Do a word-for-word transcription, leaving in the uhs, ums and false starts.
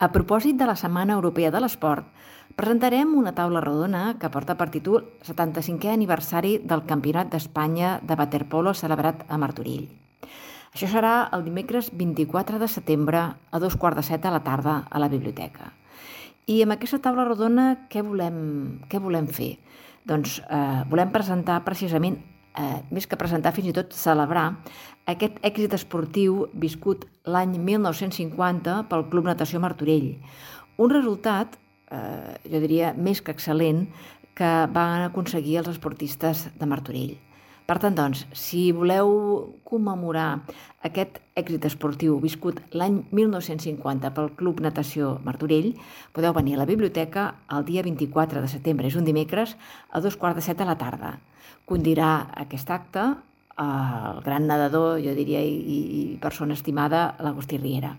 A propòsit de la Setmana Europea de l'Esport, presentarem una taula rodona que porta per títol setanta-cinquè aniversari del Campionat d'Espanya de waterpolo celebrat a Martorell. Això serà el dimecres vint-i-quatre de setembre a dos quarts de set de la tarda a la biblioteca. I amb aquesta taula rodona què volem, què volem fer? Doncs eh, volem presentar precisament, eh, més que presentar, fins i tot celebrar aquest èxit esportiu viscut l'any mil nou-cents cinquanta pel Club Natació Martorell. Un resultat, eh, jo diria, més que excel·lent, que van aconseguir els esportistes de Martorell. Per tant, doncs, si voleu commemorar aquest èxit esportiu viscut l'any mil nou-cents cinquanta pel Club Natació Martorell, podeu venir a la biblioteca el dia vint-i-quatre de setembre, és un dimecres, a dos quarts de set de la tarda. Condirà aquest acte el gran nedador, jo diria, i, i persona estimada, l'Agustí Riera.